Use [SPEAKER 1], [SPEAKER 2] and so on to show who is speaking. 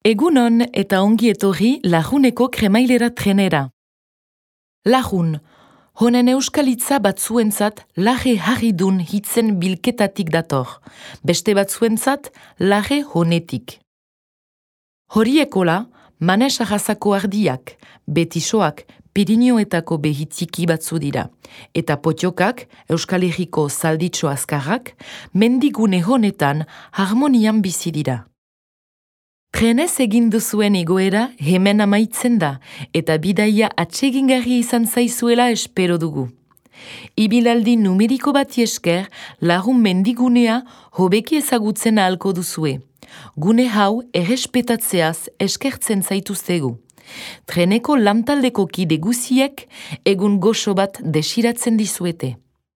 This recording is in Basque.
[SPEAKER 1] Egunon eta ongi etorri Lajuneko kremailera trenera. Lajun, honen euskalitza batzuentzat laje harridun hitzen bilketatik dator, beste batzuentzat laje honetik. Horiekola, Manes arrazako ardiak, betisoak, Pirinioetako behitziki batzu dira, eta potiokak, Euskal Herriko zalditxo azkarrak, mendigune honetan harmonian bizi dira. Trenez egin duzuen egoera hemen amaitzen da, eta bidaia atsegingarri izan zaizuela espero dugu. Ibilaldi numeriko bati esker, Lagun mendigunea hobeki ezagutzen ahalko duzue. Gune hau errespetatzeaz eskertzen zaituztegu. Treneko lantaldeko kide guziek egun goxo bat desiratzen dizuete.